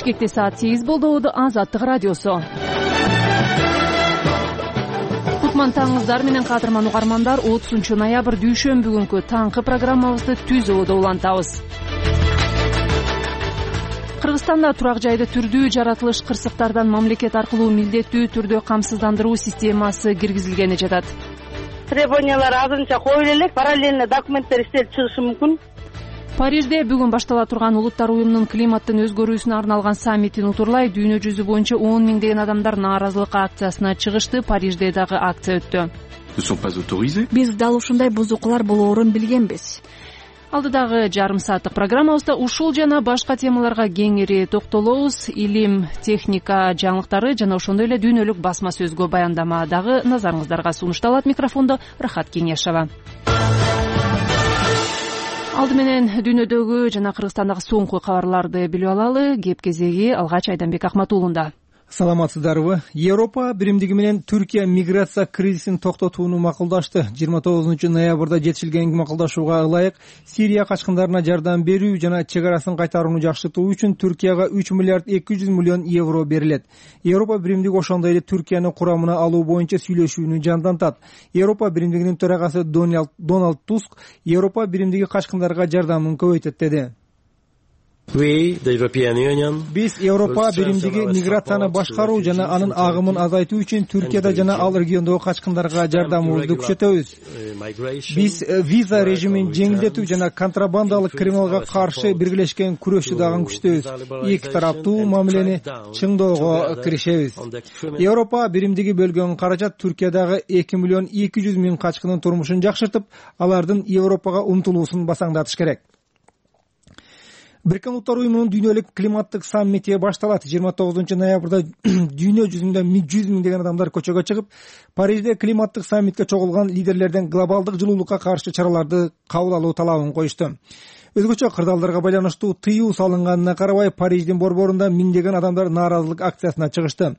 Бишкекте саат 8 болду. Азаттык радиосу. Кутман таңыңыздар менен кадырман угармандар. 30 ноябрь дүйшөмбү күнкү таңкы программабызды түз убада улантабыз. Кыргызстанда турак жайды түрдүү жаратылыш кырсыктардан мамлекет аркылуу милдеттүү түрдө камсыздандыруу системасы киргизилгени жатат. Требованиялар азырынча коюла элек, параллельно документтер иштелип чыгышы мүмкүн. Парижде бүгүн баштала турган Улуттар уюмунун климаттын өзгөрүүсүнө арналган саммитин утурлай дүйнө жүзү боюнча 10 миңдеген адамдар нааразылык акциясына чыгышты. Парижде дагы акция өттү. Биз дал ушундай бузукулар болоорун билгенбиз. Алдыдагы жарым сааттык программабызда ушул жана башка темаларга кеңири токтолобуз. Илим, техника жаңылыктары жана ошондой эле дүйнөлүк басма сөзгө баяндама дагы назарыңыздарга сунушталат. Микрофондо Рахат Кеңешова. Алды менен дүйнөдөгү жана Кыргызстандагы соңку кабарларды билип алалы. Кеп кезеги алгач Айданбек Акматуулунда. Саламатсыздарбы? Европа биримдиги менен Түркия миграция кризисин токтотууну макулдашты. 29 ноябрда жетишилген макулдашууга ылайык Сирия качкындарына жардам берүү жана чек арасын кайтарууну жакшыртуу үчүн Түркияга 3 миллиард 200 миллион евро берилет. Европа биримдиги ошондой эле Түркияны курамына алуу боюнча сүйлөшүүнү жандантат. Европа биримдигинин төрагасы Дональд Туск Европа биримдиги качкындарга жардамын көбөйтөт деди. Биз Европа биримдиги миграцияны башкаруу жана анын агымын азайтуу үчүн Түркияда жана ал региондогу качкындарга жардамыбызды күчөтөбүз. Биз виза режимин жеңилдетүү жана контрабандалык криминалга каршы биргелешкен күрөштү дагы күчөтөбүз. Эки тараптуу мамилени чыңдоого киришебиз. Европа биримдиги бөлгөн каражат Түркиядагы 2 миллион 200 миң качкынын турмушун жакшыртып, алардын Европага умтулуусун басаңдатыш керек. Бириккен Улуттар уюмунун дүйнөлүк климаттык саммити башталат. 29 ноябрда дүйнө жүзүндө 100 миңдеген адамдар көчөгө чыгып, Парижде климаттык саммитке чогулган лидерлерден глобалдык жылуулукка каршы чараларды кабыл алуу талабын коюшту. Өзгөчө кырдаалдарга байланыштуу тыюу салынганына карабай, Париждин борборунда миңдеген адамдар нааразылык акциясына чыгышты.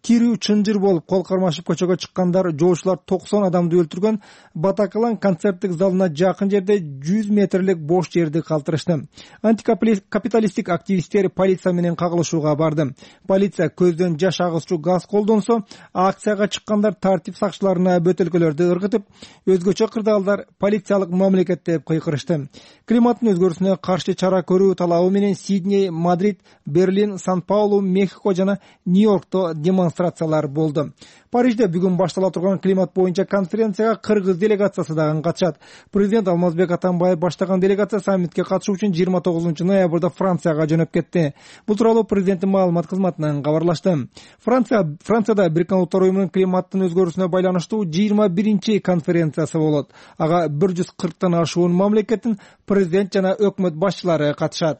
Тирүү чынжыр болуп, кол кармашып көчөгө чыккандар, жоочулар 90 адамды өлтүргөн Батаклан концерттик залына жакын жерде 100 метрлик бош жерди калтырышты. Антикапиталисттик активисттер полиция менен кагылышууга барды. Полиция көздөн жаш агызчу газ колдонсо, акцияга чыккандар тартип сакчыларына бөтөлкөлөрдү ыргытып, өзгөчө кырдаалдар полициялык мамлекет деп кыйкырышты. Климаттын өзгөрүүсүнө каршы чара көрүү талабы менен Сидней, Мадрид, Берлин, Сан-Паулу, Мехико жана Нью-Йоркто демонстрациялар болду. Парижде бүгүн баштала турган климат боюнча конференцияга кыргыз делегациясы дагы катышат. Президент Алмазбек Атамбаев баштаган делегация саммитке катышуу үчүн 29 ноябрда Францияга жөнөп кетти. Бул тууралуу президенттин маалымат кызматынан кабарлашты. Францияда Бириккен Улуттар уюмунун климаттын өзгөрүүсүнө байланыштуу 21-чи конференциясы болот. Ага 140тан ашуун мамлекеттин президент жана өкмөт башчылары катышат.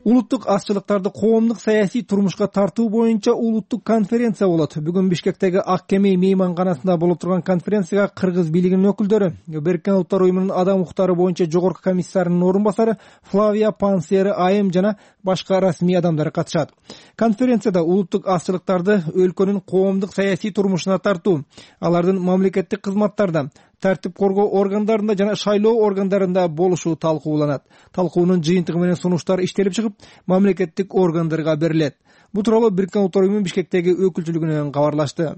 Улуттук азчылыктарды коомдук саясий турмушка тартуу боюнча улуттук конференция болот. Бүгүн Бишкектеги Ак Кеме мейманканасында болуп турган конференцияга кыргыз бийлигинин өкүлдөрү, Бириккен Улуттар уюмунун адам укуктары боюнча жогорку комиссарынын орун басары Флавия Пансери Айым жана башка расмий адамдар катышат. Конференцияда улуттук азчылыктарды өлкөнүн коомдук саясий турмушуна тартуу, алардын мамлекеттик кызматтарда, тартип коргоо органдарында жана шайлоо органдарында болушу талкууланат. Талкуунун жыйынтыгы менен сунуштар иштелип чыгып, мамлекеттик органдарга берилет. Бул тууралуу Бириккен Улуттар уюмунун Бишкектеги өкүлчүлүгүнөн кабарлашты.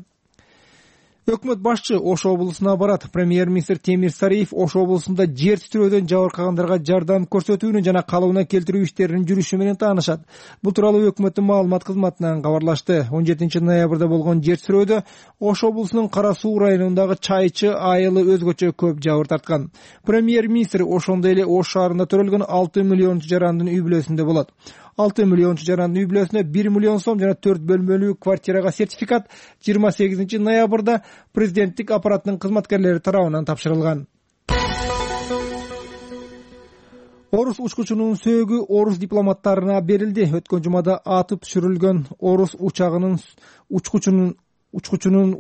Өкмөт башчы Ош облусуна барат. Премьер-министр Темир Сариев Ош облусунда жер титирөөдөн жабыркагандарга жардам көрсөтүүнү жана калыбына келтирүү иштеринин жүрүшү менен таанышат. Бул тууралуу өкмөттүн маалымат кызматынан кабарлашты. 17 ноябрда болгон жер титирөөдө Ош облусунун Кара Суу районундагы Чайчы айылы өзгөчө көп жабыр тарткан. Премьер-министр ошондой эле Ош шаарында төрөлгөн 6 миллиончу жарандын үй бүлөсүндө болот. 6 миллиончу жарандын үй бүлөсүнө 1 миллион сом жана 4 бөлмөлүү квартирага сертификат 28 ноябрда президенттик аппараттын кызматкерлери тарабынан тапшырылган. Орус учкучунун сөөгү орус дипломаттарына берилди. Өткөн жумада атып түшүрүлгөн орус учагынын учкучунун учкучунун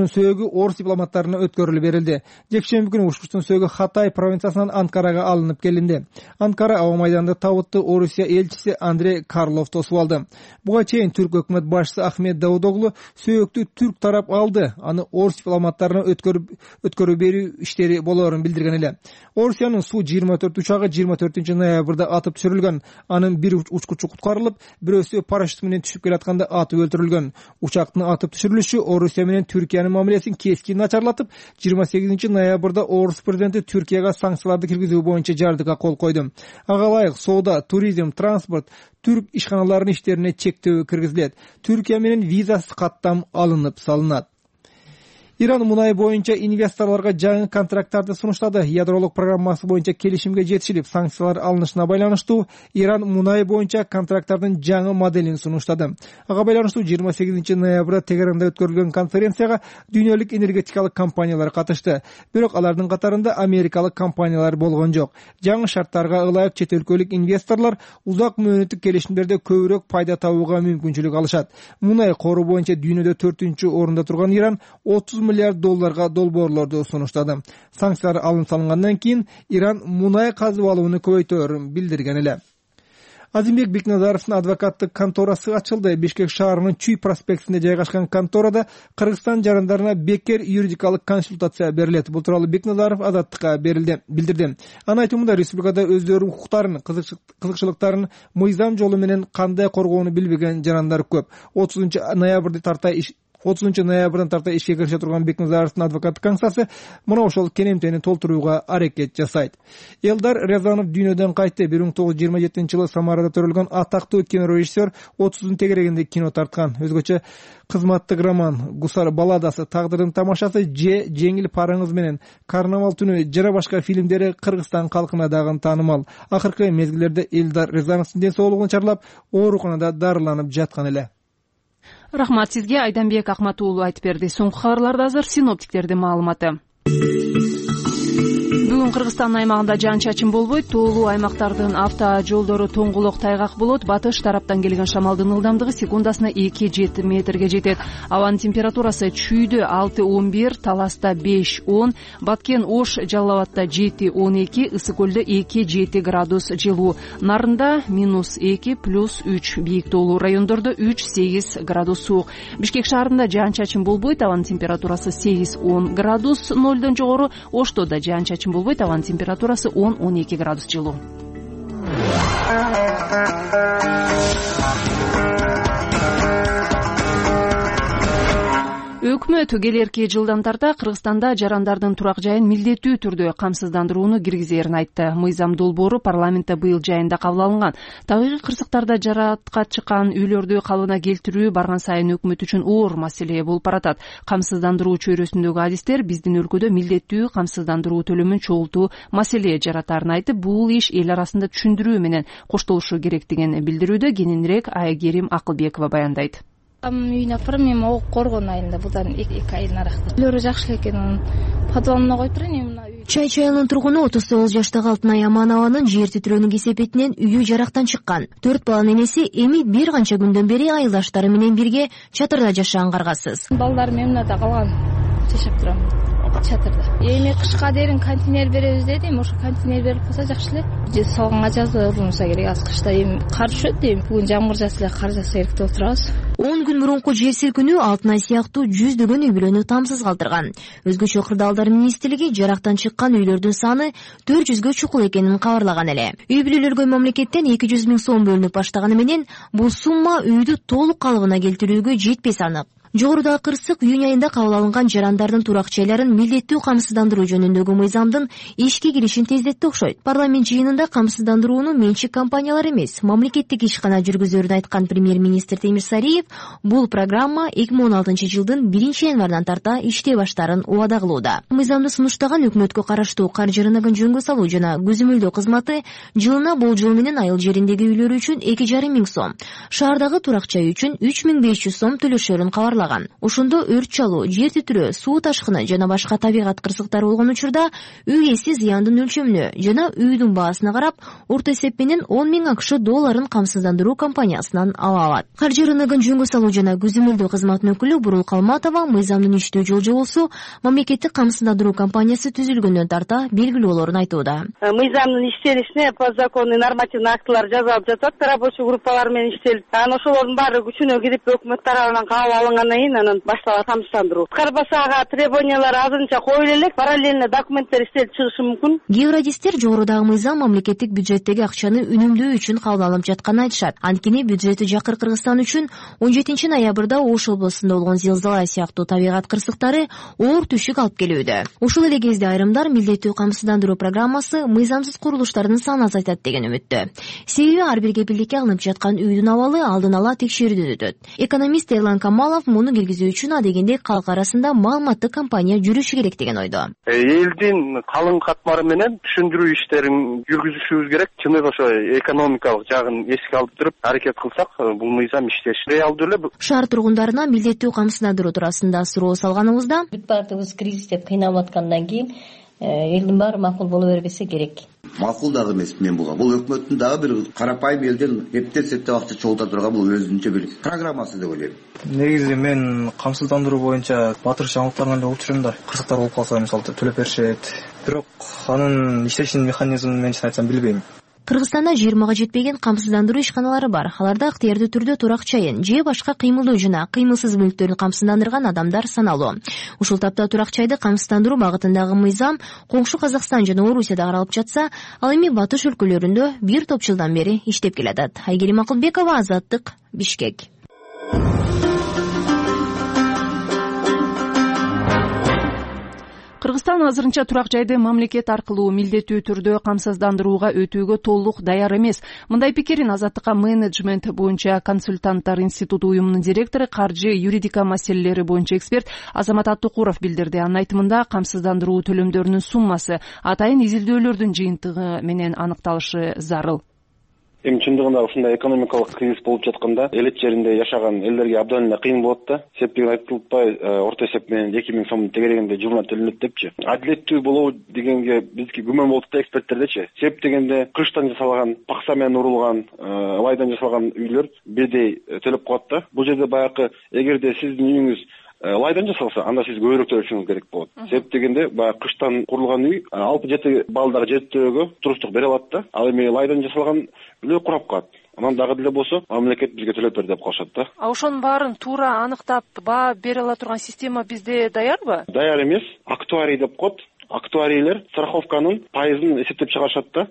сөөгү орус дипломаттарына өткөрүлүп берилди. Жекшемби күнү учкучтун сөөгү Хатай провинциясынан Анкарага алынып келинди. Анкара аба майданында табытты Орусия элчиси Андрей Карлов тосуп алды. Буга чейин түрк өкмөт башчысы Ахмет Давудоглу сөөктү түрк тарап алды, аны орус дипломаттарына өткөрүп берүү иштери болоорун билдирген эле. Орусиянын Су-24 учагы 24 ноябрда атып түшүрүлгөн. Анын бир учкучу куткарылып, бирөөсү парашют менен түшүп келатканда атып өлтүрүлгөн. Учактын атып түшүрүлүшү Орусия менен Түркиянын мамилесин кескин начарлатып, 28 ноябрда Орус президенти Түркияга санкцияларды киргизүү боюнча жардыга кол койду. Ага ылайык соода, туризм, транспорт, түрк ишканаларынын иштерине чектөө киргизилет. Түркия менен визасыз каттам алынып салынат. Иран мунай боюнча инвесторлорго жаңы контракттарды сунуштады. Ядролук программасы боюнча келишимге жетишилип, санкциялар алынышына байланыштуу Иран мунай боюнча контракттардын жаңы моделин сунуштады. Ага байланыштуу 28 ноябрда Тегеранда өткөрүлгөн конференцияга дүйнөлүк энергетикалык компаниялар катышты. Бирок алардын катарында америкалык компаниялар болгон жок. Жаңы шарттарга ылайык чет өлкөлүк инвесторлор узак мөөнөттүк келишимдерде көбүрөөк пайда табууга мүмкүнчүлүк алышат. Мунай кору боюнча дүйнөдө 4-орунда турган Иран $30 миллиард долбоорлорду сунуштады. Санкциялар алынып салынгандан кийин Иран мунай казып алууну көбөйтөөрүн билдирген эле. Азимбек Бекназаровдун адвокаттык конторасы ачылды. Бишкек шаарынын Чүй проспектинде жайгашкан конторада Кыргызстан жарандарына бекер юридикалык консультация берилет. Бул тууралуу Бекназаров Азаттыкка билдирди. Анын айтымында республикада өздөрүнүн укуктарын, кызыкчылыктарын мыйзам жолу менен кандай коргоону билбеген жарандар көп. 30 ноябрдан тарта ишке кирише турган Бекназаровдун адвокаттык кеңсасы мына ошол кенемтени толтурууга аракет жасайт. Элдар Рязанов дүйнөдөн кайтты. 1927-жылы Самарада төрөлгөн атактуу кинорежиссер 30-дун тегерегинде кино тарткан. Өзгөчө кызматтык роман, Гусар балладасы, Тагдырдын тамашасы, Жеңил параңыз менен Карнавал түнү жана башка фильмдери Кыргызстан калкына дагы таанымал. Акыркы мезгилдерде Элдар Рязановдун ден соолугун чарлап, ооруканада дарыланып жаткан эле. Рахмат сизге, Айданбек Акматуулу айтып берди. Соңку кабарларда азыр синоптиктердин маалыматы. Бүгүн Кыргызстан аймагында жаан-чачын болбойт. Тоолуу аймактардын авто жолдору тоңголок тайгак болот. Батыш тараптан келген шамалдын ылдамдыгы секундасына 2-7 метрге жетет. Абанын температурасы Чүйдө 6-11, Таласта 5-10, Баткен Ош Жалал абадда 7-12, Ысык көлдө 2-7 градус жылуу. Нарында -2, +3, бийик тоолуу райондордо 3-8 градус суук. Бишкек шаарында жаан-чачын болбойт. Абанын температурасы 8-10 градус, 0дон жогору. Ошто да жаан-чачын болбойт. Абанын температурасы 10-12 градус жылуу. Өкмөт келерки жылдан тарта Кыргызстанда жарандардын турак жайын милдеттүү түрдө камсыздандырууну киргизерин айтты. Мыйзам долбоору парламентте быйыл жайында кабыл алынган. Табигый кырсыктарда жаратка чыккан үйлөрдү калыбына келтирүү барган сайын өкмөт үчүн оор маселе болуп баратат. Камсыздандыруу чөйрөсүндөгү адистер биздин өлкөдө милдеттүү камсыздандыруу төлөмүн чогултуу маселе жаратарын айтып, бул иш эл арасында түшүндүрүү менен коштолушу керектигин билдирүүдө. Кененирээк Айгерим Акылбекова баяндайт. Үйүнө апарам, эми коргон айында, будан 2 ай наракта. Үйлөрү жакшы экен, анын подвалына коюп турайын. Чай чайылын тургуну 39 жаштагы Алтынай Аманованын жер титирөөнүн кесепетинен үйү жарактан чыккан. 4 баланын энеси эми бир канча күндөн бери айылдаштары менен бирге чатырда жашаган каргасыз. Балдарым мында калган, жашап турам чатырда. Эми кышка дейин контейнер беребиз дедим, ошо контейнер берип калса жакшы эле. Салганга жазылса керек, аз кышта эми кар түшөт дейм. Бүгүн жамгыр жааса эле, кар жааса керек деп отурабыз. 10 күн мурунку жер силкинүү Алтынай сыяктуу жүздөгөн үй бүлөнү тамсыз калтырган. Өзгөчө кырдаалдар министрлиги жарактан чыккан үйлөрдүн саны 400гө чукул экенин кабарлаган эле. Үй бүлөлөргө мамлекеттен 200 миң сом бөлүнүп баштаганы менен бул сумма үйдү толук калыбына келтирүүгө жетпеси анык. Жогоруда кырсык июнь айында кабыл алынган жарандардын турак жайларын милдеттүү камсыздандыруу жөнүндөгү мыйзамдын ишке киришин тездетти окшойт. Парламент жыйынында камсыздандырууну менчик компаниялар эмес, мамлекеттик ишкана жүргүзөрүн айткан премьер-министр Темир Сариев бул программа 2016-жылдын 1-январынан тарта иштей баштаарын убада кылууда. Мыйзамды сунуштаган өкмөткө караштуу каржы рыногун жөнгө салуу жана көзөмөлдөө кызматы жылына болжол менен айыл жериндеги үйлөр үчүн 2,5 миң сом, шаардагы турак жай үчүн 3500 сом төлөшөрүн кабарлаган. кабарлаган. Ошондо өрт чалуу, жер титирөө, суу ташкыны жана башка табигат кырсыктары болгон учурда үй ээси зыяндын өлчөмүнө жана үйдүн баасына карап орто эсеп менен 10 000 АКШ долларын камсыздандыруу компаниясынан ала алат. Каржы рыногун жөнгө салуу жана көзөмөлдөө кызматынын өкүлү Бурул Калматова мыйзамдын иштөө жол-жобосу мамлекеттик камсыздандыруу компаниясы түзүлгөндөн тарта белгилүү болоорун айтууда. Мыйзамдын иштелишине по закону нормативный актылар жазылып жатат, рабочий группалар менен иштелип, анан ошолордун баары күчүнө кирип өкмөт тарабынан кабыл алынгандан кийин анан башталат камсыздандыруу. Карбаса ага требованиялар азырынча коюла элек, параллельно документтер иштелип чыгышы мүмкүн. Георадистер жогорудагы мыйзам мамлекеттик бюджеттеги акчаны үнөмдөө үчүн кабыл алынып жатканын айтышат. Анткени бюджети жакыр Кыргызстан үчүн 17 ноябрда Ош облусунда болгон зилзала сыяктуу табигат кырсыктары оор түшүк алып келүүдө. Ушул эле кезде айрымдар милдеттүү камсыздандыруу программасы мыйзамсыз курулуштардын санын азайтат деген үмүттө. Себеби ар бир кепилдикке алынып жаткан үйдүн абалы алдын ала текшерүүдөн өтөт. Экономист Эрлан Камалов муну киргизүү үчүн адегенде калк арасында маалыматтык кампания жүрүшү керек деген ойдо. Элдин калың катмары менен түшүндүрүү иштерин жүргүзүшүбүз керек. Чындыгы ошо экономикалык жагын эске алып туруп аракет кылсак, бул мыйзам иштеш. Реалдуу эле шаар тургундарына милдеттүү камсыздандыруу туурасында суроо салганыбызда бүт баардыгыбыз кризис деп кыйналып аткандан кийин элдин баары макул боло бербесе керек. Макул дагы эмес мен буга. Бул өкмөттүн дагы бир карапайым элден эптеп акча чогулта турган бул өзүнчө бир программасы деп ойлойм. Негизи мен камсыздандыруу боюнча батыр жаңылыктарынан эле угуп жүрөм да. Кырсыктар болуп калса мисалы төлөп беришет. Бирок анын иштешинин механизмин мен чын айтсам билбейм. Кыргызстанда 20га жетпеген камсыздандыруу ишканалары бар. Аларда ыктыярдуу түрдө турак чайын же башка кыймылдуу жана кыймылсыз мүлктөрүн камсыздандырган адамдар саналуу. Ушул тапта турак чайды камсыздандыруу багытындагы мыйзам коңшу Казакстан жана Орусияда каралып жатса, ал эми батыш өлкөлөрүндө бир топ жылдан бери иштеп келатат. Айгерим Акылбекова, Азаттык, Бишкек. Кыргызстан азырынча турак жайды мамлекет аркылуу милдеттүү түрдө камсыздандырууга өтүүгө толук даяр эмес. Мындай пикирин Азаттыкка менеджмент боюнча консультанттар институту уюмунун директору, каржы юридика маселелери боюнча эксперт Азамат Аттукуров билдирди. Анын айтымында камсыздандыруу төлөмдөрүнүн суммасы атайын изилдөөлөрдүн жыйынтыгы менен аныкталышы зарыл. Эми чындыгында ушундай экономикалык кризис болуп жатканда элет жеринде жашаган элдерге абдан эле кыйын болот да. Септигин айтылбай, орто эсеп менен 2000 сомдун тегерегинде жылына төлөнөт депчи. Адилеттүү болобу дегенге бизге күмөн болуп да эксперттердечи. Себеп дегенде кыштан жасалган, пакса менен урулган, ылайдан жасалган үйлөр бирдей төлөп калат да. Бул жерде баягы эгерде сиздин үйүңүз ылайдан жасалса, анда сиз көбүрөөк төлөшүңүз керек болот. Себеп дегенде баягы кыштан курулган үй 6-7 балдары жетөөгө туруштук бере алат да. Ал эми ылайдан жасалган үйлөр курап калат. Анан дагы деле болсо мамлекет бизге төлөп бер деп калышат да. Ошонун баарын туура аныктап баа бере ала турган система бизде даярбы? Даяр эмес. Актуарий деп коет. Актуарийлер страховканын пайызын эсептеп чыгарышат да.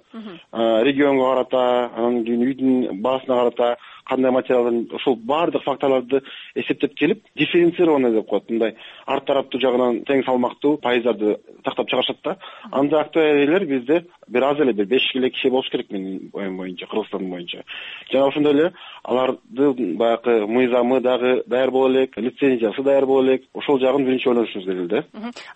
Регионго карата, анан кийин үйдүн баасына карата кандай материалдын ошол баардык факторлорду эсептеп келип, дифференцированный деп коет. Мындай арт тараптуу жагынан тең салмактуу пайыздарды тактап чыгарышат да. Анда актуарийлер бизде бир аз эле, бир 5 эле киши болуш керек менин оюм боюнча, Кыргызстан боюнча. Жана ошондой эле алардын баягы мыйзамы дагы даяр боло элек, лицензиясы даяр боло элек. Ошол жагын биринчи ойлонушубуз керек да.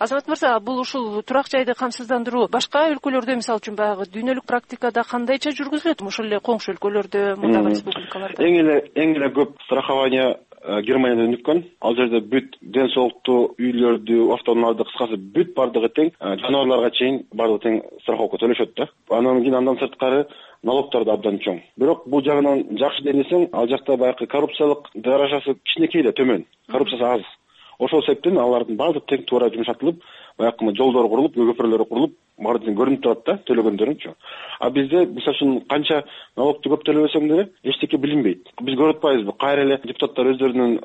Азамат мырза, бул ушул турак жайды камсыздандыруу башка өлкөлөрдө, мисалы үчүн баягы дүйнөлүк практикада кандайча жүргүзүлөт? Ошол эле коңшу өлкөлөрдө, мындагы республикаларда? Эң эле көп страхование Германияда өнүккөн. Ал жерде бүт ден соолуктуу үйлөрдү, автоунааларды, кыскасы бүт бардыгы тең, жаныбарларга чейин бардыгы тең страховка төлөшөт да. Анан кийин андан сырткары налогдор да абдан чоң. Бирок бул жагынан жакшы денесең, ал жакта баягы коррупциялык даражасы кичинекей эле, төмөн. Коррупциясы аз. Ошол себептен алардын баардыгы тең туура жумшатылып, баягы жолдор курулуп, көпүрөлөр курулуп, баардыгы көрүнүп турат да, төлөгөндөрүнчү. А бизде мисалы үчүн канча налогду көп төлөбөсөң деле эчтеке билинбейт. Биз көрүп атпайбызбы? Кайра эле депутаттар өздөрүнүн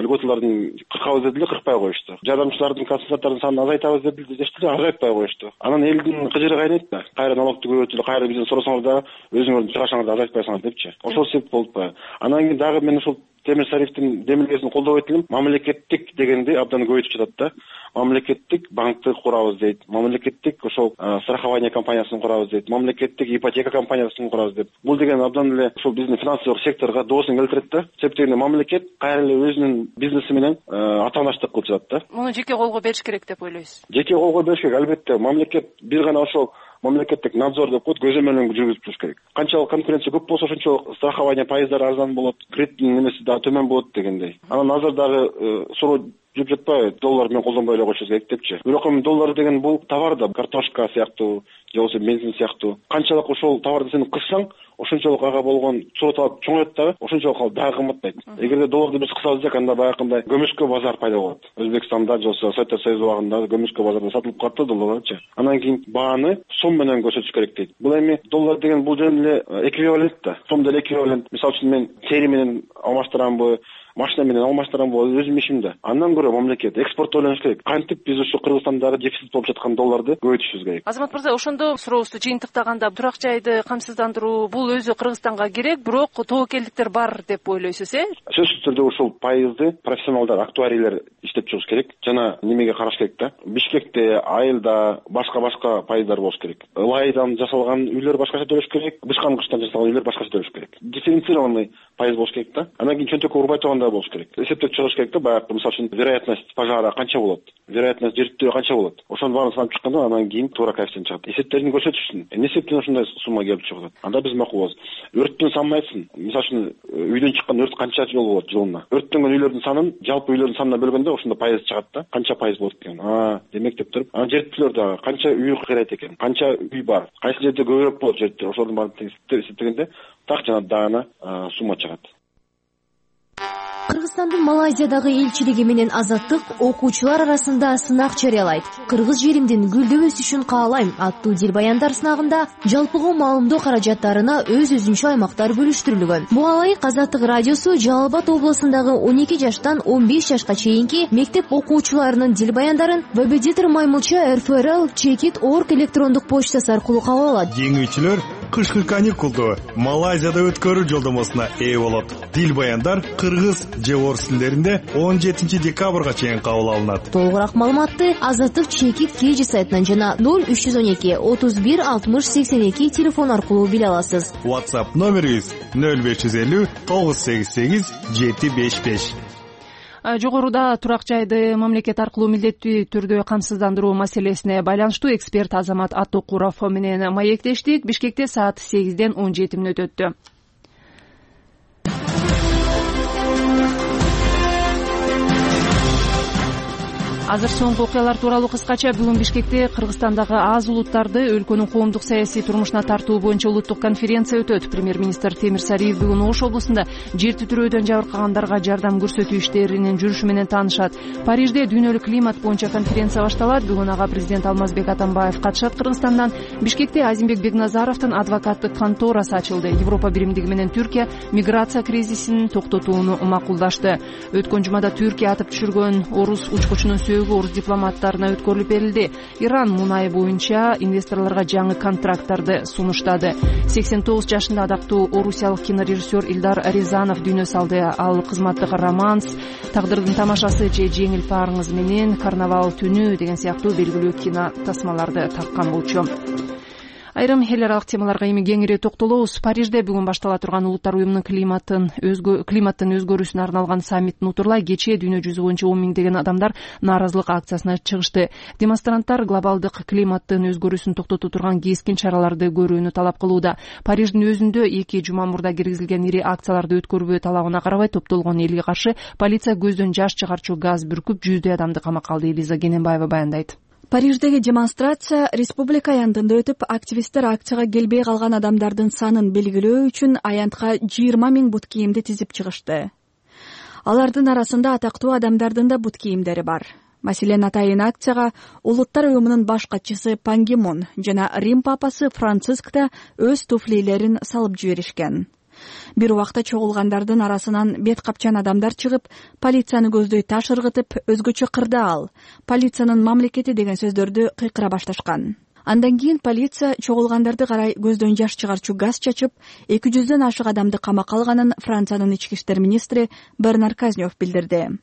льготаларын кыркабыз деди эле, кыркпай коюшту. Жардамчылардын, консультанттардын санын азайтабыз деди эле, азайтпай коюшту. Анан элдин кыжыры кайнайт да. Кайра налогду көбөйтүлүп, кайра бизден сурасаңар да өзүңөрдүн чыгашыңарды азайтпайсыңар депчи. Ошол себеп болуп атпайбы? Анан кийин дагы мен ушул темир тарифтин демилгесин колдобойт элем. Мамлекеттик дегенди абдан көбөйтүп жатат да. Мамлекеттик банкты курабыз дейт. Мамлекеттик ошол страхование компаниясын курабыз дейт. Мамлекеттик ипотека компаниясын курабыз деп. Бул деген абдан эле ушул биздин финансылык секторго доосун келтирет да. Себеп дегенде мамлекет кайра эле өзүнүн бизнеси менен атаандаштык кылып жатат да. Муну жеке колго бериш керек деп ойлойсуз? Жеке колго бериш керек, албетте. Мамлекет бир гана ошол мамлекеттик надзор деп коет, көзөмөлүн жүргүзүп туруш керек. Канчалык конкуренция көп болсо ошончолук страхование пайыздары арзан болот, кредиттин немеси дагы төмөн болот дегендей. Анан азыр дагы суроо жүрүп жатпайбы, доллар менен колдонбой эле койушубуз керек депчи. Бирок эми доллар деген бул товар да, картошка сыяктуу же болбосо бензин сыяктуу. Канчалык ошол товарды сен кыссаң, ошончолук ага болгон суроо талап чоңойот дагы, ошончолук ал дагы кымбаттайт. Эгерде долларды биз кысабыз десек, анда баягындай көмүскө базар пайда болот. Өзбекстанда же болбосо Советтер Союзу убагында көмүскө базарда сатылып калат да долларларчы. Анан кийин бааны сом менен көрсөтүш керек дейт. Бул эми доллар деген бул жөн эле эквивалент да. Сом деле эквивалент. Мисалы үчүн мен тери менен алмаштырамбы, машина менен алмаштырамбы, өзүм ишим да. Андан көрө мамлекет экспортто ойлонуш керек. Кантип биз ушу Кыргызстандагы дефицит болуп жаткан долларды көбөйтүшүбүз керек. Азамат мырза, ошондо сурообузду жыйынтыктаганда турак жайды камсыздандыруу бул өзү Кыргызстанга керек, бирок тобокелдиктер бар деп ойлойсуз, Сөзсүз түрдө ушул пайызды профессионалдар, актуарийлер иштеп чыгыш керек. Жана немеге караш керек да? Бишкекте, Айылда башка пайыздар болуш керек. Ылайдан жасалган үйлөр башкача төлөш керек, бышкан кыштан жасалган үйлөр башкача төлөш керек. Дифференцированный пайыз болуш керек да. Анан кийин чөнтөккө урбай тургандай болуш керек. Эсептеп чыгыш керек да, баягы мисалы үчүн вероятность пожара канча болот, вероятность жертөө канча болот. Ошонун баарын санап чыкканда анан кийин туура коэффициент чыгат. Эсептерин көрсөтүш үчүн эмне себептен ушундай сумма келип чыгат? Анда биз макул болобуз. Өрттүн санын айтсын. Мисалы үчүн үйдөн чыккан өрт канча жол болот жылына? Өрттөнгөн үйлөрдүн санын жалпы үйлөрдүн санына бөлгөндө ошондо пайыз чыгат да. Канча пайыз болот экен? Демек деп туруп, анан жертөлөр дагы канча үй кыйрайт экен? Канча үй бар? Кайсы жерде көбүрөөк болот жертөлөр? Ошолордун баарын эсептегенде так жана даана сумма чыгат. Кыргызстандын Малайзиядагы элчилиги менен Азаттык окуучулар арасында сынак жарыялайт. Кыргыз жеримдин гүлдөп өсүшүн каалайм аттуу дил баяндар сынагында жалпыга маалымдоо каражаттарына өз-өзүнчө аймактар бөлүштүрүлгөн. Буга ылайык Азаттык радиосу Жалал Абад облусундагы 12 жаштан 15 жашка чейинки мектеп окуучуларынын дил баяндарын Вебедитер Маймылча РФРL@checkit.org электрондук почтасы аркылуу кабыл алат. Жеңүүчүлөр кышкы каникулду Малайзияда өткөрүү жолдомосуна ээ болот. Дил баяндар кыргыз же орус тилдеринде 17 декабрга чейин кабыл алынат. Толугураак маалыматты Азаттык Checkit KG сайтынан жана 0312 31 60 82 телефон аркылуу биле аласыз. WhatsApp номерибиз 0550 988 755. Жогоруда турак жайды мамлекет аркылуу милдеттүү түрдө камсыздандыруу маселесине байланыштуу эксперт Азамат Аттокуров менен маектештик. Бишкекте саат 8ден 17 мүнөт өттү. Азыр соңку окуялар тууралуу кыскача. Бүгүн Бишкекте Кыргызстандагы аз улуттарды өлкөнүн коомдук саясий турмушуна тартуу боюнча улуттук конференция өтөт. Премьер-министр Темир Сариев бүгүн Ош облусунда жер титирөөдөн жабыркагандарга жардам көрсөтүү иштеринин жүрүшү менен таанышат. Парижде дүйнөлүк климат боюнча конференция башталат. Бүгүн ага президент Алмазбек Атамбаев катышат. Кыргызстандан Бишкекте Азимбек Бекназаровдун адвокаттык конторасы ачылды. Европа биримдиги менен Түркия миграция кризисин токтотууну макулдашты. Өткөн жумада Түркия атып түшүргөн орус учкучунун орус дипломаттарына өткөрүлүп берилди. Иран мунай боюнча инвесторлорго жаңы контракттарды сунуштады. 89 жашында адактуу орусиялык кинорежиссер Илдар Рязанов дүйнө салды. Ал кызматтык романс, Тагдырдын тамашасы же Жеңил парыңыз менен Карнавал түнү деген сыяктуу белгилүү кино тасмаларды тарткан болчу. Айрым эл аралык темаларга эми кеңири токтолобуз. Парижде бүгүн баштала турган Улуттар уюмунун климаттын өзгөрүүсүнө арналган саммиттин утурлай кечээ дүйнө жүзү боюнча 10 миңдеген адамдар нааразылык акциясына чыгышты. Демонстранттар глобалдык климаттын өзгөрүүсүн токтото турган кескин чараларды көрүүнү талап кылууда. Париждин өзүндө 2 жума мурда киргизилген ири акцияларды өткөрбөө талабына карабай топтолгон элге каршы полиция көздөн жаш чыгарчу газ бүркүп жүздөй адамды камакка алды. Элиза Кененбаева баяндайт. Париждеги демонстрация республика аянтында өтүп, активисттер акцияга келбей калган адамдардын санын белгилөө үчүн аянтка 20 000 бут кийимди тизип чыгышты. Алардын арасында атактуу адамдардын да бут кийимдери бар. Маселен, атайын акцияга Улуттар уюмунун баш катчысы Пан Ги Мун жана Рим папасы Франциск да өз туфлилерин салып жиберишкен. Бир убакта чогулгандардын арасынан бет капчан адамдар чыгып, полицияны көздөй таш ыргытып, өзгөчө кырдаал, полициянын мамлекети деген сөздөрдү кыйкыра башташкан. Андан кийин полиция чогулгандарды карай көздөн жаш чыгарчу газ чачып, 200дөн ашык адамды камакка алганын Франциянын ички иштер министри Бернар Казнев билдирди.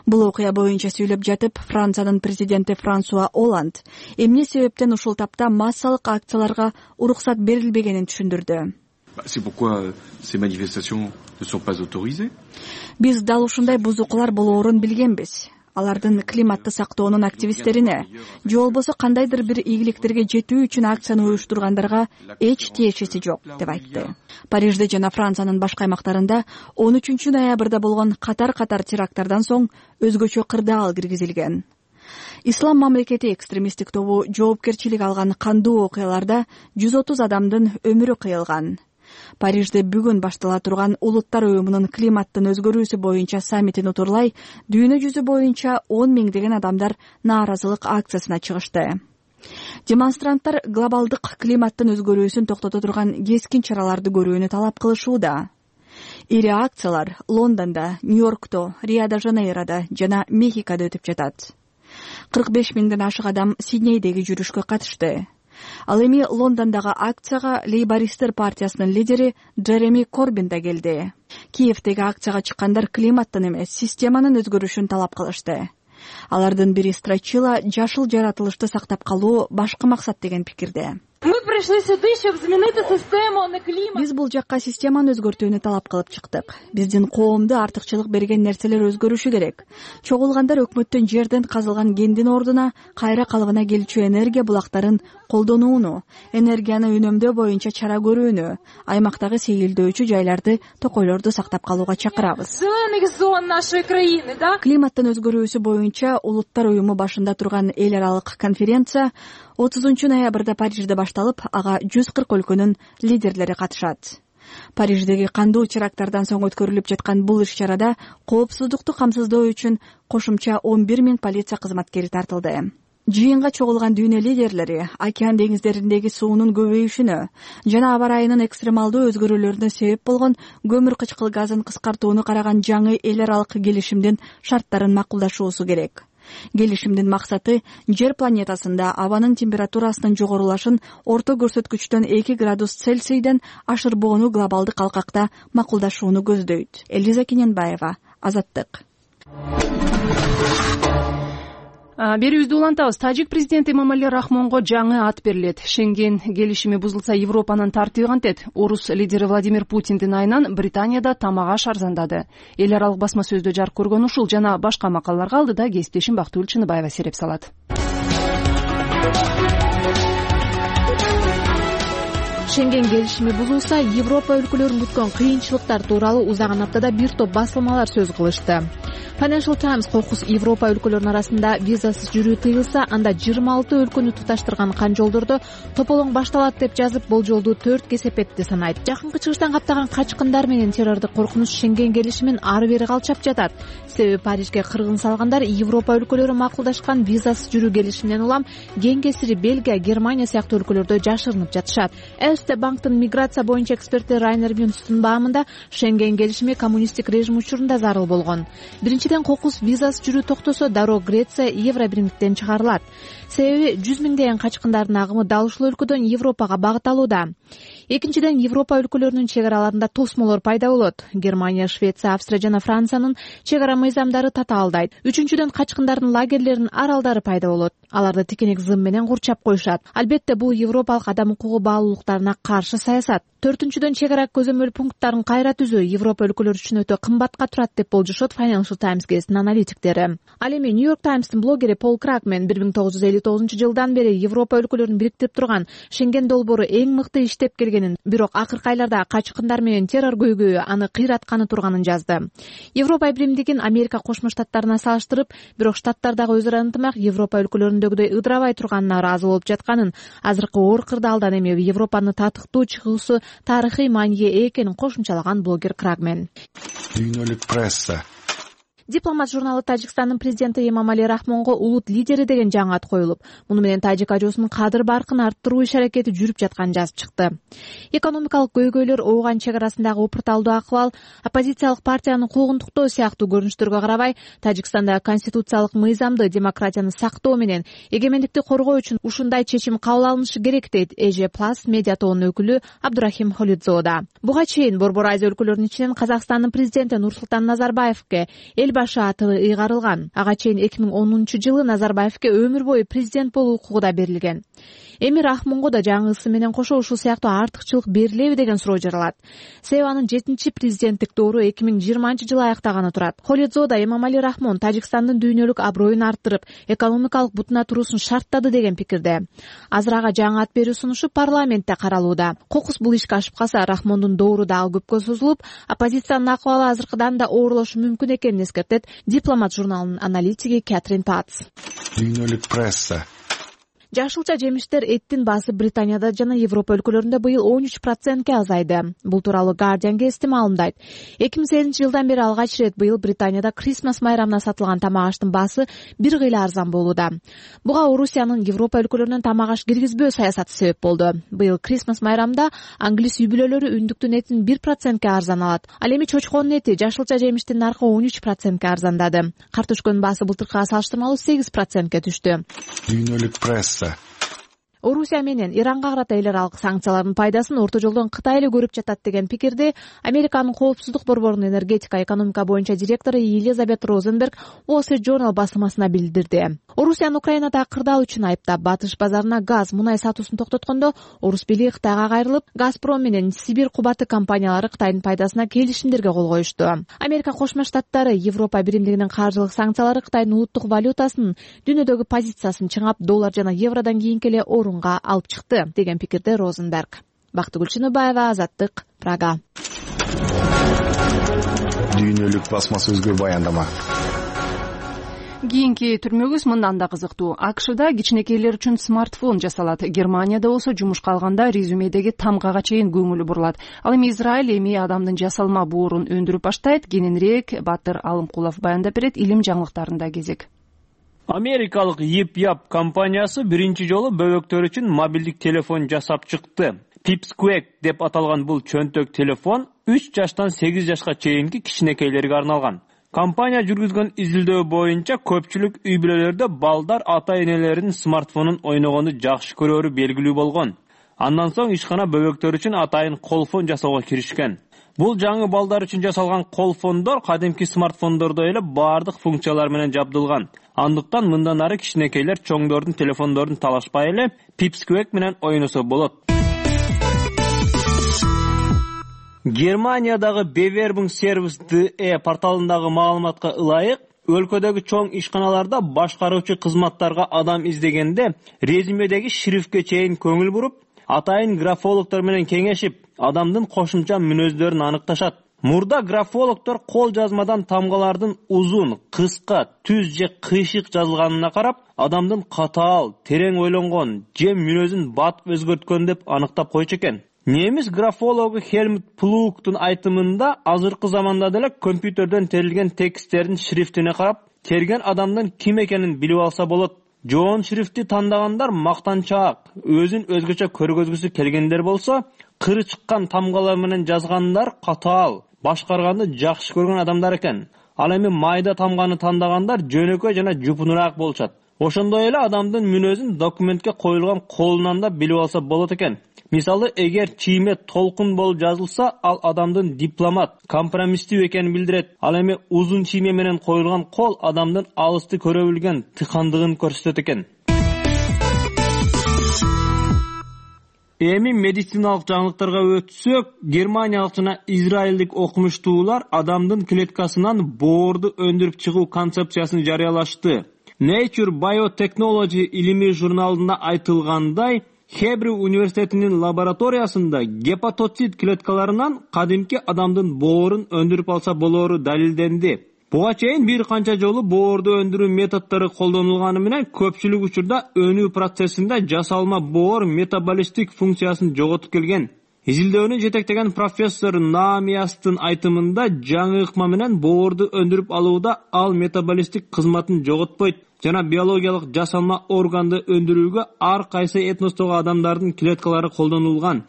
Бул окуя боюнча сүйлөп жатып, Франциянын президенти Франсуа Олланд эмне себептен ушул тапта массалык акцияларга уруксат берилбегенин түшүндүрдү. C'est pourquoi ces manifestations ne sont pas autorisées. Биз дал ушундай бузукулар болоорун билгенбиз. алардын климатты сактоонун активисттерине же болбосо кандайдыр бир ийгиликтерге жетүү үчүн акцияны уюштургандарга эч тиешеси жок деп айтты. Парижде жана Франциянын башка аймактарында 13 ноябрда болгон катар теракттардан соң өзгөчө кырдаал киргизилген. Ислам мамлекети экстремисттик тобу жоопкерчилик алган кандуу окуяларда 130 адамдын өмүрү кыйылган. Парижде бүгүн баштала турган Улуттар уюмунун климаттын өзгөрүүсү боюнча саммитин утурлай дүйнө жүзү боюнча 10 миңдеген адамдар нааразылык акциясына чыгышты. Демонстранттар глобалдык климаттын өзгөрүүсүн токтото турган кескин чараларды көрүүнү талап кылышууда. Ири акциялар Лондондо, Нью-Йоркто, Рио-де-Жанейрода жана Мехикодо өтүп жатат. 45 миңден ашык адам Сиднейдеги жүрүшкө катышты. Ал эми Лондондогу акцияга Лейбористтер партиясынын лидери Джереми Корбин да келди. Киевдеги акцияга чыккандар климаттын эмес, системанын өзгөрүшүн талап кылышты. Алардын бири Страчила жашыл жаратылышты сактап калуу башкы максат деген пикирде. Биз бул жакка системаны өзгөртүүнү талап кылып чыктык. Биздин коомду артыкчылык берген нерселер өзгөрүшү керек. Чогулгандар өкмөттөн жерден казылган кендин ордуна кайра калыбына келчү энергия булактарын колдонууну, энергияны үнөмдөө боюнча чара көрүүнү, аймактагы сейилдөөчү жайларды, токойлорду сактап калууга чакырабыз. Климаттын өзгөрүүсү боюнча Улуттар уюму башында турган эл аралык конференция 30 ноябрда Парижде башталып, ага 140 өлкөнүн лидерлери катышат. Париждеги кандуу теракттардан соң өткөрүлүп жаткан бул иш-чарада коопсуздукту камсыздоо үчүн кошумча 11 миң полиция кызматкери тартылды. Жыйынга чогулган дүйнө лидерлери океан деңиздериндеги суунун көбөйүшүнө жана аба ырайынын экстремалдуу өзгөрүүлөрүнө себеп болгон көмүр кычкыл газын кыскартууну караган жаңы эл аралык келишимдин шарттарын макулдашуусу керек. Келишимдин максаты жер планетасында абанын температурасынын жогорулашын орто көрсөткүчтөн 2 градус Цельсийден ашырбоону глобалдык алкакта макулдашууну көздөйт. Элиза Кененбаева, Азаттык. Берүүбүздү улантабыз. Тажик президенти Эмомали Рахмонго жаңы ат берилет. Шенген келишими бузулса Европанын тартиби кантет? Орус лидери Владимир Путиндин айынан Британияда тамак-аш арзандады. Эл аралык басма сөздө жарык көргөн ушул жана башка макалаларга алдыда кесиптешим Бактыгүл Чыныбаева сереп салат. Шенген келишими бузулса, Европа өлкөлөрүн күткөн кыйынчылыктар тууралуу узаган аптада бир топ басылмалар сөз кылышты. Financial Times кокус Европа өлкөлөрүнүн арасында визасыз жүрүү тыйылса, анда 26 өлкөнү туташтырган канжолдордо тополоң башталат деп жазып, болжолдуу 4 кесепетти санайт. Жакынкы чыгыштан каптаган качкындар менен террордук коркунуч Шенген келишимин ары бери калчап жатат. Себеби Парижге кыргын салгандар Европа өлкөлөрү макулдашкан визасыз жүрүү келишиминен улам кең кесири Бельгия, Германия сыяктуу өлкөлөрдө жашырынып жатышат. Эрste банктын миграция боюнча эксперти Райнер Мюнстун баамында Шенген келишими коммунисттик режим учурунда зарыл болгон. Биринчиден, кокус визасыз жүрүү токтосо, дароо Греция Евробиримдиктен чыгарылат. Себеби 100 миңдеген качкындардын агымы дал ушул өлкөдөн Европага багыт алууда. Экинчиден, Европа өлкөлөрүнүн чек араларында тосмолор пайда болот. Германия, Швеция, Австрия жана Франциянын чек ара мыйзамдары татаалдайт. Үчүнчүдөн, качкындардын лагерлеринин аралдары пайда болот. Аларды тикенек зым менен курчап коюшат. Албетте, бул европалык адам укугу баалуулуктарына каршы саясат. Төртүнчүдөн, чек ара көзөмөл пункттарын кайра түзүү Европа өлкөлөрү үчүн өтө кымбатка турат деп болжошот Financial Times гезитинин аналитиктери. Ал эми New York Times'тын блогери Пол Кракмен 1959 жылдан бери Европа өлкөлөрүн бириктирип турган Шенген долбоору эң мыкты иштеп келгенин, бирок акыркы айларда качкындар менен террор көйгөйү аны кыйратканы турганын жазды. Европа биримдигин Америка Кошмо Штаттарына салыштырып, бирок Штаттардагы өз ара ынтымак Европа өлкөлөрүндөгүдөй ыдырабай турганына ыраазы болуп жатканын, азыркы оор кырдаалдан эми Европаны татыктуу чыгуусу тарыхый маанийге экенин кошумчалаган блогер Крагмен. Дүйнөлүк пресса. Дипломат журналы Тажикстандын президенти Эмомали Рахмонго улут лидери деген жаңы ат коюлуп, муну менен тажик ажоосунун кадыр баркын арттыруу иш-аракети жүрүп жатканын жазып чыкты. Экономикалык көйгөйлөр, ооган чек арасындагы упурталдуу акыбал, оппозициялык партиянын куугунтуктоо сыяктуу көрүнүштөргө карабай, Тажикстанда конституциялык мыйзамды, демократияны сактоо менен эгемендикти коргоо үчүн ушундай чечим кабыл алынышы керек, дейт EJ+ медиа тобунун өкүлү Абдурахим Холидзода. Буга чейин Борбор Азия өлкөлөрүнүн ичинен Казакстандын президенти Нурсултан Назарбаевке эл башы аты ыйгарылган. Ага чейин 2010 жылы Назарбаевке өмүр бою президент болуу укугу да берилген. Эми Рахмонго да жаңы ысы менен кошо ушул сыяктуу артыкчылык берилеби деген суроо жаралат. себеби анын 7-чи президенттик доору 2020-жылы аяктаганы турат. Холидзода Эмомали Рахмон Тажикстандын дүйнөлүк аброюн арттырып, экономикалык бутуна туруусун шарттады деген пикирде. Азыр ага жаңы ат берүү сунушу парламентте каралууда. Кокус бул ишке ашып калса, Рахмондун доору дагы көпкө созулуп, оппозициянын акыбалы азыркыдан да оорулошу мүмкүн экенин эскертет Дипломат журналынын аналитиги Кэтрин Патс. Дүйнөлүк пресса. Жашылча жемиштер эттин баасы Британияда жана Европа өлкөлөрүндө быйыл 13%ке азайды. Бул тууралуу Guardian'га эстим алымдайт. 2008-жылдан бери алгач ирет быйыл Британияда Крисмас майрамына сатылган тамак аштын баасы бир кыйла арзан болууда. Буга Орусиянын Европа өлкөлөрүнөн тамак аш киргизбөө саясаты себеп болду. Быйыл Крисмас майрамда англис үй бүлөлөрү үндүктүн этин 1%ке арзан алат. Ал эми чочконун эти, жашылча жемиштин наркы 13%ке арзандады. Картошконун баасы былтыркыга салыштырмалуу 8%ке түштү. Дүйнөлүк пресса. Орусия менен Иранга карата эл аралык санкциялардын пайдасын орто жолдон Кытай эле көрүп жатат деген пикирди Американын коопсуздук борборунун энергетика экономика боюнча директору Елизабет Розенберг Wall Street Journal басылмасына билдирди. Орусияны Украинада кырдаал үчүн айыптап, батыш базарына газ, мунай сатуусун токтоткондо орус бийлиги Кытайга кайрылып, Газпром менен Сибирь кубаты компаниялары Кытайдын пайдасына келишимдерге кол коюшту. Америка Кошмо Штаттары Европа биримдигинин каржылык санкциялары Кытайдын улуттук валютасынын дүйнөдөгү позициясын чыңап, доллар жана евродон кийинки эле орунга алып чыкты деген пикирде Розенберг. Бактыгүл Чыныбаева, Азаттык, Прага. Дүйнөлүк басма сөзгө баяндама. Кийинки түрмөгүбүз мындан да кызыктуу. АКШда кичинекейлер үчүн смартфон жасалат. Германияда болсо жумушка алганда резюмедеги тамгага чейин көңүлү бурулат. Ал эми Израиль эми адамдын жасалма боорун өндүрүп баштайт. Кененирээк Батыр Алымкулов баяндап берет. Илим жаңылыктарында кезек. Америкалык Yip-Yap компаниясы биринчи жолу бөбөктөр үчүн мобилдик телефон жасап чыкты. Pipsqueak деп аталган бул чөнтөк телефон 3 жаштан 8 жашка чейинки кичинекейлерге арналган. Компания жүргүзгөн изилдөө боюнча көпчүлүк үй бүлөлөрдө балдар ата-энелеринин смартфонун ойногонду жакшы көрөрү белгилүү болгон. Андан соң ишкана бөбөктөр үчүн атайын колфон жасоого киришкен. Бул жаңы балдар үчүн жасалган колфондор кадимки смартфондордой эле баардык функциялар менен жабдылган. Андыктан мындан ары кичинекейлер чоңдордун телефондорун талашпай эле Pipsqueak менен ойносо болот. Германиядагы Bewerbung Service.de порталындагы маалыматка ылайык, өлкөдөгү чоң ишканаларда башкаруучу кызматтарга адам издегенде резюмедеги шрифтке чейин көңүл буруп, атайын графологдор менен кеңешип, адамдын кошумча мүнөздөрүн аныкташат. Мурда графологдор кол жазмадан тамгалардын узун, кыска, түз же кыйшык жазылганына карап, адамдын катаал, терең ойлонгон же мүнөзүн батып өзгөрткөн деп аныктап койчу экен. Немис графологу Хельмут Плугтун айтымында азыркы заманда деле компьютерден терилген тексттердин шрифтине карап, терген адамдын ким экенин билип алса болот. Жоон шрифти тандагандар мактанчаак, өзүн өзгөчө көргөзгүсү келгендер болсо, кыры чыккан тамгалар менен жазгандар катаал, башкарганды жакшы көргөн адамдар экен. Ал эми майда тамганы тандагандар жөнөкөй жана жупунураак болушат. Ошондой эле адамдын мүнөзүн документке коюлган колунан да билип алса болот экен. Мисалы, эгер чийме толкун болуп жазылса, ал адамдын дипломат, компромисстүү экенин билдирет. Ал эми узун чийме менен коюлган кол адамдын алысты көрө билген тыкандыгын көрсөтөт экен. Эми медициналык жаңылыктарга өтсөк, германиялык жана израилдик окумуштуулар адамдын клеткасынан боорду өндүрүп чыгуу концепциясын жарыялашты. Nature Biotechnology илимий журналында айтылгандай, Хебрю университетинин лабораториясында гепатоцит клеткаларынан кадимки адамдын боорун өндүрүп алса болоору далилденди. Буга чейин бир канча жолу боорду өндүрүү методдору колдонулганы менен көпчүлүк учурда өнүү процессинде жасалма боор метаболисттик функциясын жоготуп келген. Изилдөөнү жетектеген профессор Наамиястын айтымында жаңы ыкма менен боорду өндүрүп алууда ал метаболисттик кызматын жоготпойт жана биологиялык жасалма органды өндүрүүгө ар кайсы этностогу адамдардын клеткалары колдонулган.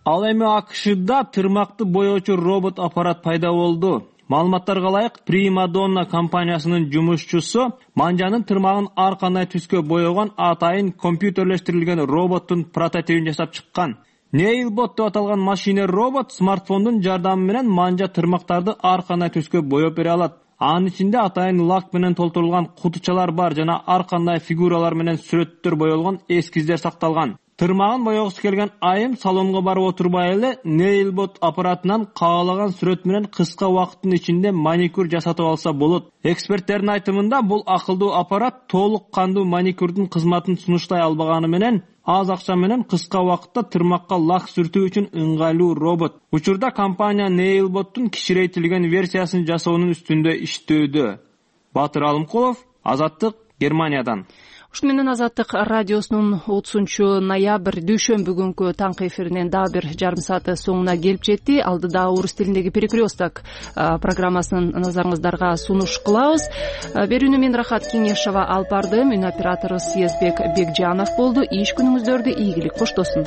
Ал эми АКШда тырмакты боёочу робот аппарат пайда болду. Маалыматтарга ылайык, Primadonna компаниясынын жумушчусу манжанын тырмагын ар кандай түскө боёгон атайын компьютерлештирилген роботтун прототипин жасап чыккан. Nailbot деп аталган машина робот смартфондун жардамы менен манжа тырмактарды ар кандай түскө боёп бере алат. Анын ичинде атайын лак менен толтурулган кутучалар бар жана ар кандай фигуралар менен сүрөттөр боелгон эскиздер сакталган. Тырмагын боегусу келген айым салонго барып отурбай эле Nailbot аппаратынан каалаган сүрөт менен кыска убакыттын ичинде маникюр жасатып алса болот. Эксперттердин айтымында бул акылдуу аппарат толук кандуу маникюрдун кызматын сунуштай албаганы менен аз акча менен кыска убакытта тырмакка лак сүртүү үчүн ыңгайлуу робот. Учурда компания Nailbot'тун кичирейтилген версиясын жасоонун үстүндө иштөөдө. Батыр Алымкулов, Азаттык, Германиядан. Ушуну менен Азаттык радиосунун 30-ноябрь дүйшөмбү күнкү таңкы эфиринен дагы бир жарым сааты соңуна келип жетти. Алдыда орус тилиндеги перекресток программасын назарыңыздарга сунуш кылабыз. Берүүнү мен Рахат Кеңешова алып бардым. Үн оператору Съездбек Бекжанов болду. Иш күнүңүздөрдү ийгилик коштосун.